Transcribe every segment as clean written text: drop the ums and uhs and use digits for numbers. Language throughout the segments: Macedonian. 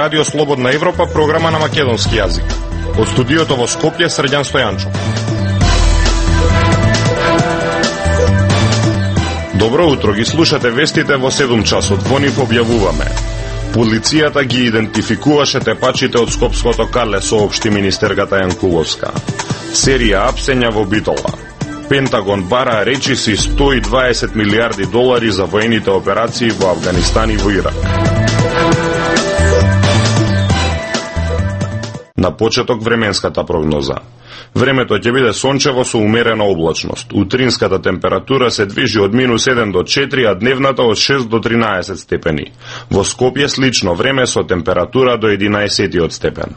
Радио Слободна Европа, програма на македонски јазик. Од студиото во Скопје, Срđan Стојанчов. Добро утро, ги слушате вестите во 7 часот. Во нив објавуваме: полицијата ги идентификуваше тепачите од Скопското кале, соопшти министерката Јанкуловска. Серија апсења во Битола. Пентагон бара речиси $120 милиарди за воените операции во Авганистан и во Ирак. На почеток временската прогноза. Времето ќе биде сончево со умерена облачност. Утринската температура се движи од -1 до 4, а дневната од 6 до 13 степени. Во Скопје слично време со температура до 11 степен.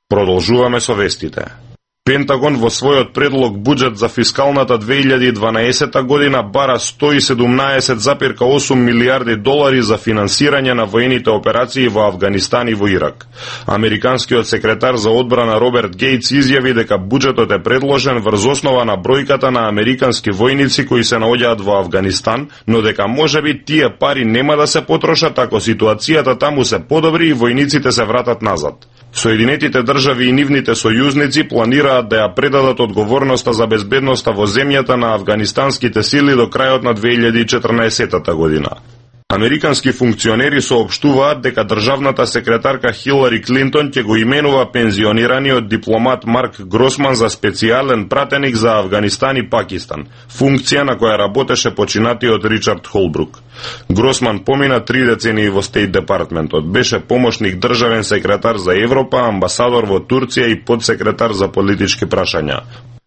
Продолжуваме со вестите. Пентагон во својот предлог буџет за фискалната 2012 година бара $117,8 милиарди за финансирање на воените операции во Авганистан и во Ирак. Американскиот секретар за одбрана Роберт Гейтс изјави дека буџетот е предложен врз основа на бројката на американски војници кои се наоѓаат во Авганистан, но дека можеби тие пари нема да се потрошат ако ситуацијата таму се подобри и војниците се вратат назад. Соединетите држави и нивните сојузници планираат да ја предадат одговорноста за безбедноста во земјата на афганистанските сили до крајот на 2014 година. Американски функционери соопштуваат дека државната секретарка Хилари Клинтон ќе го именува пензионираниот дипломат Марк Гросман за специјален пратеник за Авганистан и Пакистан, функција на која работеше починатиот Ричард Холбрук. Гросман помина 3 децении во Стейт департментот, беше помошник државен секретар за Европа, амбасадор во Турција и подсекретар за политички прашања.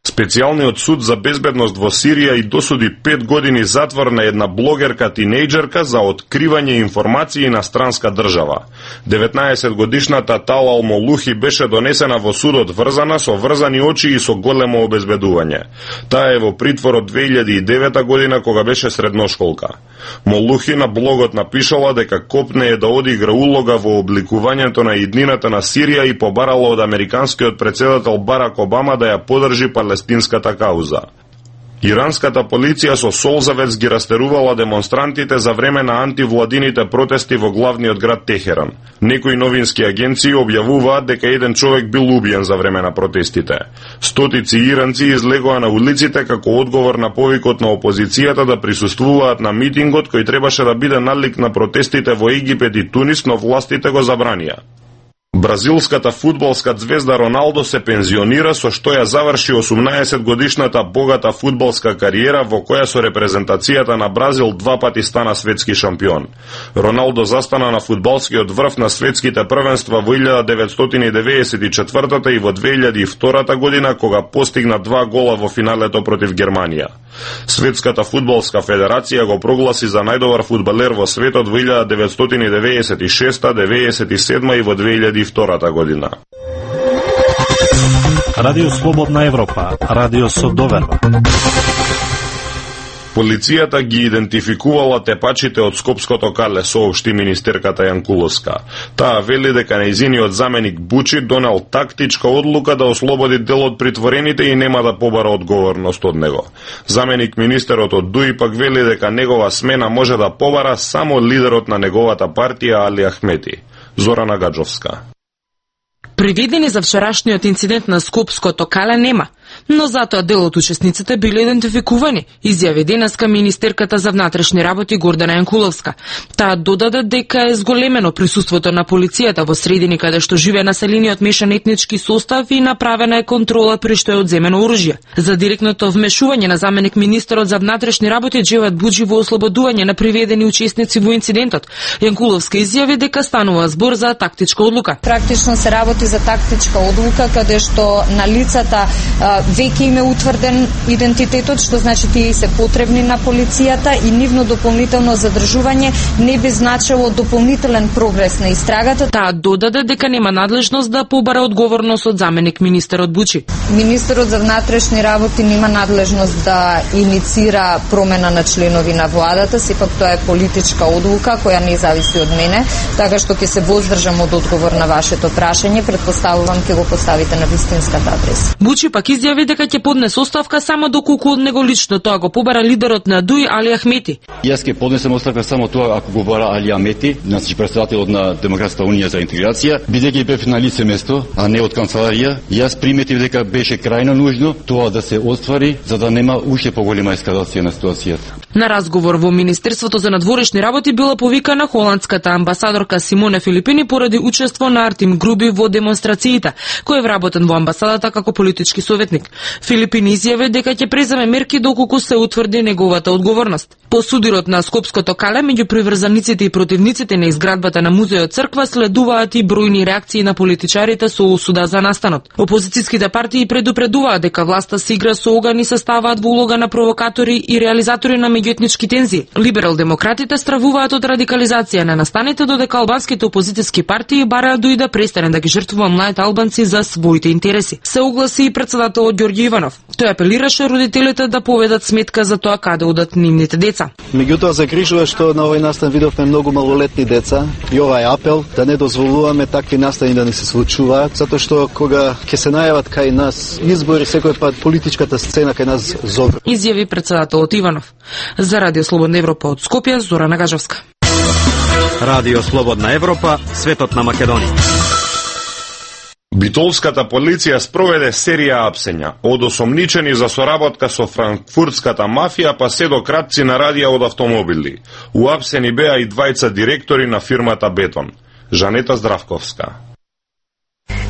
Специјалниот суд за безбедност во Сирија и досуди 5 години затвор на една блогерка-тинејџерка за откривање информации на странска држава. 19-годишната Талал Молухи беше донесена во судот врзана со врзани очи и со големо обезбедување. Таа е во притвор од 2009 година кога беше средношколка. Молухи на блогот напишала дека копнее да одигра улога во обликувањето на иднината на Сирија и побарала од американскиот претседател Барак Обама да ја поддржи палестинската кауза. Иранската полиција со солзавец ги растерувала демонстрантите за време на антивладините протести во главниот град Техеран. Некои новински агенции објавуваат дека еден човек бил убиен за време на протестите. Стотици иранци излегоа на улиците како одговор на повикот на опозицијата да присуствуваат на митингот кој требаше да биде налик на протестите во Египет и Тунис, но властите го забранија. Бразилската фудбалска звезда Роналдо се пензионира, со што ја заврши 18-годишната богата фудбалска кариера во која со репрезентацијата на Бразил 2 пати стана светски шампион. Роналдо застана на фудбалскиот врв на светските првенства во 1994 и во 2002 година кога постигна 2 гола во финалето против Германија. Светската фудбалска федерација го прогласи за најдобар фудбалер во светот во 1996, 97 и во 2002 година. Радио Слободна Европа, радио со доверба. Полицијата ги идентификувала тепачите од Скопското кале, соопшти министерката Јанкуловска. Таа вели дека нејзиниот заменик Бучи донел тактичка одлука да ослободи дел од притворените и нема да побара одговорност од него. Заменик министерот од ДУИ пак вели дека негова смена може да побара само лидерот на неговата партија Али Ахмети. Зорана Гаджовска. Приведени за вчерашниот инцидент на Скопското кале нема, но затоа дел од учесниците биле идентификувани, изјави денеска министерката за внатрешни работи Гордана Јанкуловска. Таа додаде дека е зголемено присуството на полицијата во средини каде што живее населениот мешан етнички состав и направена е контрола при што е одземено оружје. За директното вмешување на заменик министерот за внатрешни работи Джеват Буџи во ослободување на приведени учесници во инцидентот, Јанкуловска изјави дека станува збор за тактичка одлука. Практично се работи за тактичка одлука каде што на лицата веќе им е утврден идентитетот, што значи тие се потребни на полицијата и нивно дополнително задржување не би значило дополнителен прогрес на истрагата. Таа додаде дека нема надлежност да побара одговорност од заменик министерот Бучи. Министерот за внатрешни работи нема надлежност да иницира промена на членови на владата, сепак тоа е политичка одлука која не зависи од мене, така што ќе се воздржам од одговор на вашето прашање, предпоставувам ќе го поставите на вистинската адреса. Бучи пак изјави изјави дека ќе поднесе оставка само доколку од него лично тоа го побара лидерот на ДУИ Али Ахмети. Јас ќе поднесем оставка само тоа ако го бара Али Ахмети, значи претседателот на Демократската унија за интеграција, бидејќи бев на лице место, а не од канцеларија. Јас приметив дека беше крајно нужно тоа да се оствари за да нема уште поголема ескалација на ситуацијата. На разговор во Министерството за надворешни работи била повикана холандската амбасадорка Симоне Филипини поради учество на Артим Груби во демонстрациите, кој е вработен во амбасадата како политички советник. Филипини изјави дека ќе преземе мерки доколку се утврди неговата одговорност. По судирот на Скопското кале, меѓу приврзаниците и противниците на изградбата на музејот црква следуваат и бројни реакции на политичарите со осуда за настанот. Опозицијските партии предупредуваат дека власта се игра со оган и се ставаат во улога на провокатори и реализатори на меѓуетнички тензии. Либерал-демократите стравуваат од радикализација на настаните, додека албанските опозицијски партии бараат дуи да престане да ги жртвува младите албанци за своите интереси. Се огласи и председателот Ѓорѓе Иванов. Тој апелираше родителите да поведат сметка за тоа каде одат нивните деца. Меѓутоа загрижува што на овој настан видовме многу малолетни деца и ова е апел да не дозволуваме такви настани да ни се случуваат, затоа што кога ќе се најават кај нас избори, секој пат политичката сцена кај нас зове. Изјави председателот Иванов. За Радио Слободна Европа од Скопје, Зорана Гажевска. Радио Слободна Европа, светот на Македонија. Битолската полиција спроведе серија апсења од осомничени за соработка со франкфуртската мафија па се до кратци на радија од автомобили. Уапсени беа и двајца директори на фирмата Бетон. Жанета Здравковска.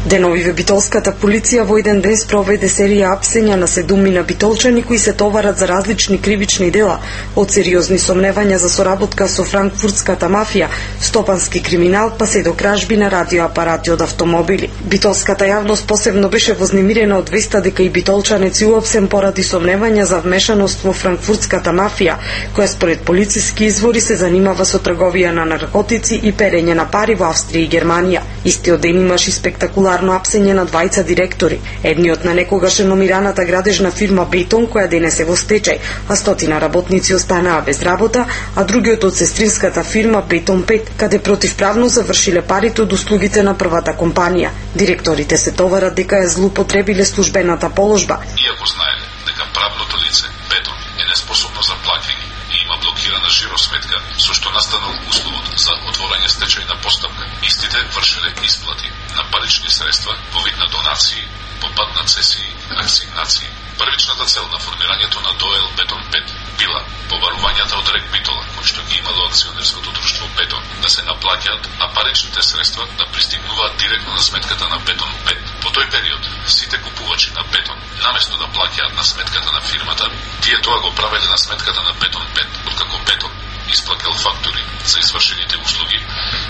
Деновиве битолската полиција во еден ден спроведе серија апсења на 7 битолчани кои се товарат за различни кривични дела, од сериозни сомневања за соработка со франкфуртската мафија, стопански криминал, па се до кражби на радиоапарати од автомобили. Битолската јавност посебно беше вознемирена од веста дека и битолчанец е уапсен поради сомневања за вмешаност во франкфуртската мафија, која според полициски извори се занимава со трговија на наркотици и перење на пари во Австрија и Германија. Истиот ден имаше спектакуларно апсење на двајца директори. Едниот на некогаш реномираната градежна фирма Бетон, која денес е во стечај, а стотина работници останаа без работа, а другиот од сестринската фирма Бетон 5, каде противправно завршиле парите од услугите на првата компанија. Директорите се товарат дека ја злоупотребиле службената положба. Иако знаеле дека правното лице Бетон е неспособно за платење и има блокирана жиросметка, со што настанал условот за отворање стечајна постапка, истите вршеле исплати на парични средства во вид на донации, по пат на цесии, асигнации. Првичната цел на формирањето на ДОЕЛ Бетон 5 била побарувањата од Рек Битола, кој што ги имало акционерското друштво Бетон, да се наплаќаат, а паричните средства да пристигнуваат директно на сметката на Бетон 5. По тој период, сите купувачи на Бетон, наместо да плаќаат на сметката на фирмата, тие тоа го правеле на сметката на Бетон 5, откако Бетон исплатил фактури за извршените услуги.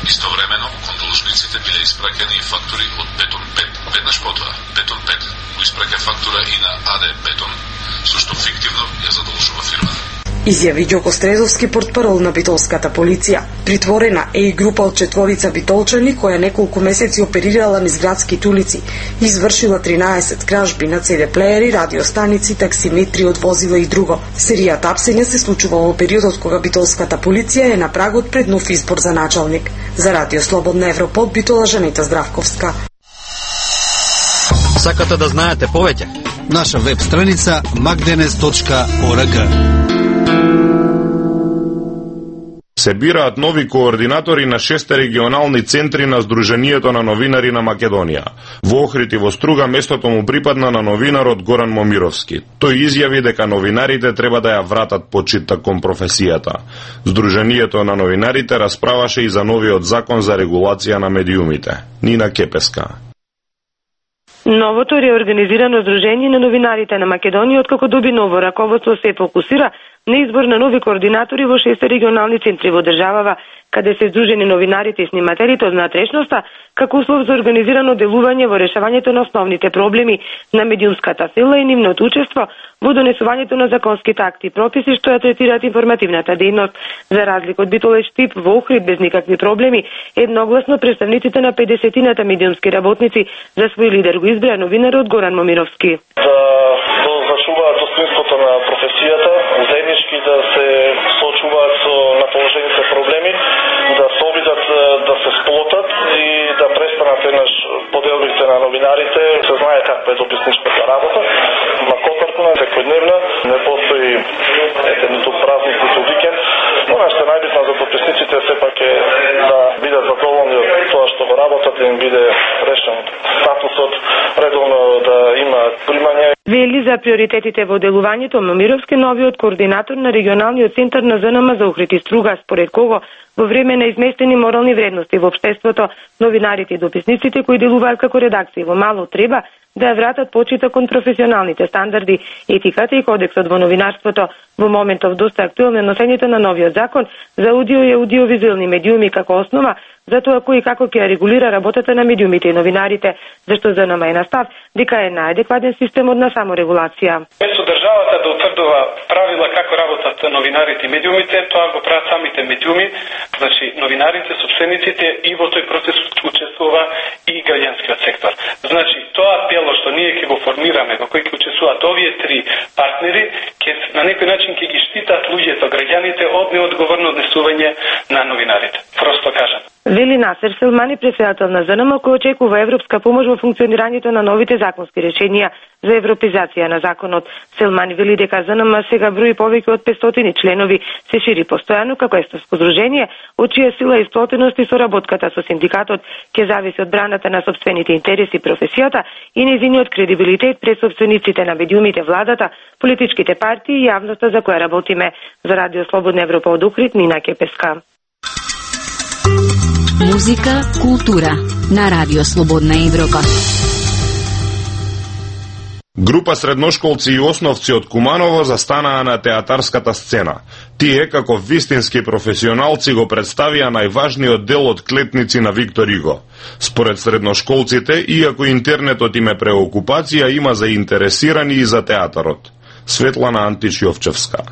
Истовремено, кон должниците биле испраќани и фактури од Бетон 5. Веднаш потоа, Бетон 5 го испраќа фактура и на АД Бетон, со што фиктивно ја задолжува фирмата. Изјави Ѓоко Стредовски, портпарол на битолската полиција. Притворена е и група од 4 битолчани која неколку месеци оперирала низ градските улици. Извршила 13 кражби на CD-плеери, радиостаници, таксиметри од возила и друго. Серијата апсења се случува во периодот кога битолската полиција е на прагот пред нов избор за началник. За Радио Слободна Европа од Битола, Жанета Здравковска. Сакате да знаете повеќе? Наша веб страница magdenes.org. Се бираат нови координатори на 6 регионални центри на Сдруженијето на новинари на Македонија. Во Охрид и во Струга местото му припадна на новинарот Горан Момировски. Тој изјави дека новинарите треба да ја вратат почитта кон професијата. Сдруженијето на новинарите расправаше и за новиот закон за регулација на медиумите. Нина Кепеска. Новото реорганизирано Сдружение на новинарите на Македонија, откако доби ново раководство, се фокусира на избор на нови координатори во 6 регионални центри во државава, каде се здружени новинарите и снимателите од внатрешноста, како услов за организирано делување во решавањето на основните проблеми на медиумската сила и нивното учество во донесувањето на законските акти и прописи што ја третираат информативната дејност. За разлика од Битоле Штип, во Охрид без никакви проблеми, едногласно представниците на 50-тината медиумски работници за свој лидер го избра новинарот Горан Момировски. Да зачуваат достоинството на професијата, заеднички да се соочуваат со наположените проблеми, да се обидат да се сплотат и да престанат еднаш поделбите на новинарите. Се знае каква е дописничката работа. во работата им биде решен статусот, редовно да има примање. Вели за приоритетите во делувањето Момировски, новиот координатор на регионалниот центар на ЗНМ за Охрид и Струга, според кого во време на изместени морални вредности во општеството, новинарите и дописниците кои делуваат како редакции во мало треба да ја вратат почита кон професионалните стандарди, етиката и кодексот во новинарството. Во моментов доста актуелно е носењето на новиот закон за аудио и аудиовизуелни медиуми како основа за тоа кој и како ќе регулира работата на медиумите и новинарите, зашто ЗНМ е на став дека е најадекватен системот на саморегулација. Место државата да утврдува правила како работат новинарите и медиумите, тоа го прават самите медиуми, значи новинарите, собствениците, и во тој процес учествува и граѓанскиот сектор. Значи тоа дело што ние ќе го формираме, во кој ќе учествуваат овие три партнери, ќе на некој начин ќе ги штитат луѓето, граѓаните од неодговорно однесување на новинарите. Просто кажам. Вели Насер Селмани, председател на ЗНМ, кој очекува европска помош во функционирањето на новите законски решенија за европизација на законот. Селмани вели дека ЗНМ сега брои повеќе од 500 членови, се шири постојано како естовско здружение, од чија сила и сплотеност и соработката со синдикатот ќе зависи од браната на сопствените интереси, професијата и нејзиниот кредибилитет пред сопствениците на медиумите, владата, политичките партии и јавноста за која работиме. За Радио Слободна Европа од Охрид, Нина Кепеска. Музика, култура на Радио Слободна Европа. Група средношколци и основци од Куманово застанаа на театарската сцена. Тие, како вистински професионалци, го представија најважниот дел од Клетници на Виктор Иго. Според средношколците, иако интернетот им е преокупација, има заинтересирани и за театарот. Светлана Антич-Јовчевска.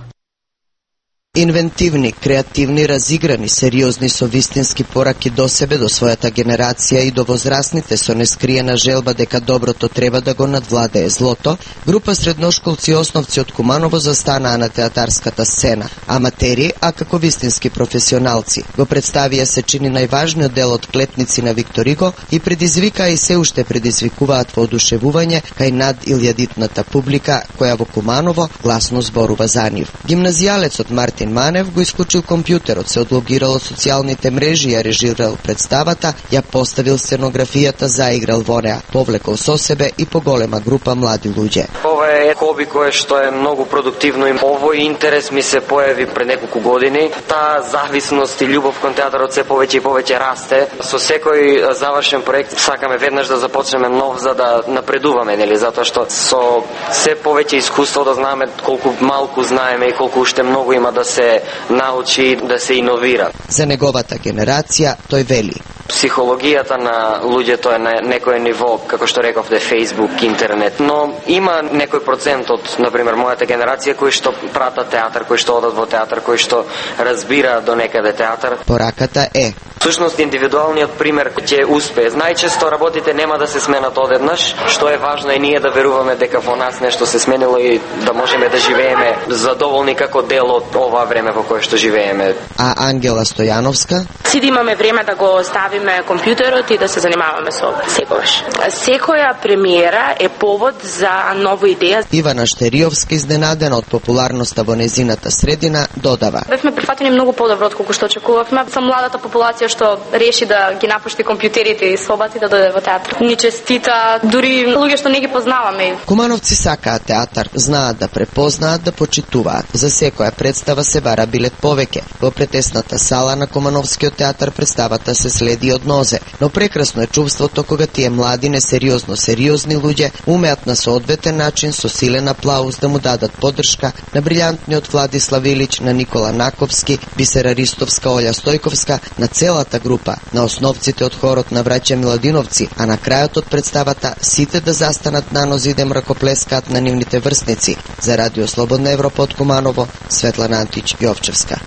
Инвентивни, креативни, разиграни, сериозни со вистински пораки до себе, до својата генерација и до возрастните со нескриена желба дека доброто треба да го надвладее злото, група средношколци и основци од Куманово застанаа на театарската сцена. Аматери, а како вистински професионалци, го представија се чини најважниот дел од Клетници на Виктор Иго и предизвикаа и се уште предизвикуваат воодушевување кај над илјадитната публика која во Куманово гласно зборува за нив. Гимназијалецот Мартин Манев го исклучил компјутерот, се одлогирал од социјалните мрежи, ја режирал представата, ја поставил сценографијата, заиграл во неа, повлекол со себе и поголема група млади луѓе. Ова е хоби кое што е многу продуктивно и овој интерес ми се појави пред неколку години. Таа зависност и љубов кон театарот се повеќе и повеќе расте. Со секој завршен проект сакаме веднаш да започнеме нов за да напредуваме, нели, затоа што со се повеќе искуство да знаеме колку малку знаеме и колку уште многу има да се научи, да се иновира. За неговата генерација тој вели: психологијата на луѓето е на некој ниво, како што рековте, Facebook, интернет, но има некој процент од, например, мојата генерација кои што пратат театар, кои што одат во театар, кои што разбира до некаде театар. Пораката е: всушност индивидуалниот пример ќе успее. Најчесто работите нема да се сменат одеднаш, што е важно е ние да веруваме дека во нас нешто се сменило и да можеме да живееме задоволни како дел од ова време во кое што живееме. А Ангела Стојановска? Си да имаме време да го ставиме компјутерот и да се занимаваме со секогаш. Секоја премиера е повод за нова идеја. Ивана Штериовска, изненадена од популарноста во незината средина, додава: бевме прифатени многу подобро од колку што очекувавме. Со младата популација што реши да ги напушти компјутерите и собати да дојде во театар. Ни честита дури луѓе што не ги познаваме. Кумановци сакаат театар, знаат да препознаат, да почитуваат. За секоја представа се бара билет повеќе. Во претесната сала на Кумановскиот театар представата се следи од нозе, но прекрасно е чувството кога тие млади, несериозно сериозни луѓе умеат на соодветен начин со силен аплауз да му дадат поддршка на брилјантниот Владислав Илич, на Никола Наковски, Бисера Ристовска, Олја Стојковска, на целата група, на основците од хорот на браќа Миладиновци, а на крајот од представата сите да застанат на нози и да мракоплескаат на нивните врсници. За Радио Слободна Европа од Куманово, Светлана Антич-Јовчевска.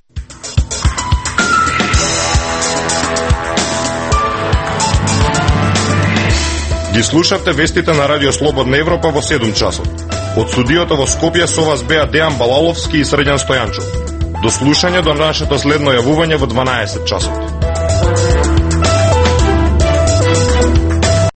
Ги слушавте вестите на Радио Слободна Европа во 7 часот. Од студиото во Скопје со вас беа Дејан Балаловски и Средјан Стојанчов. До слушање до нашето следно јавување во 12 часот.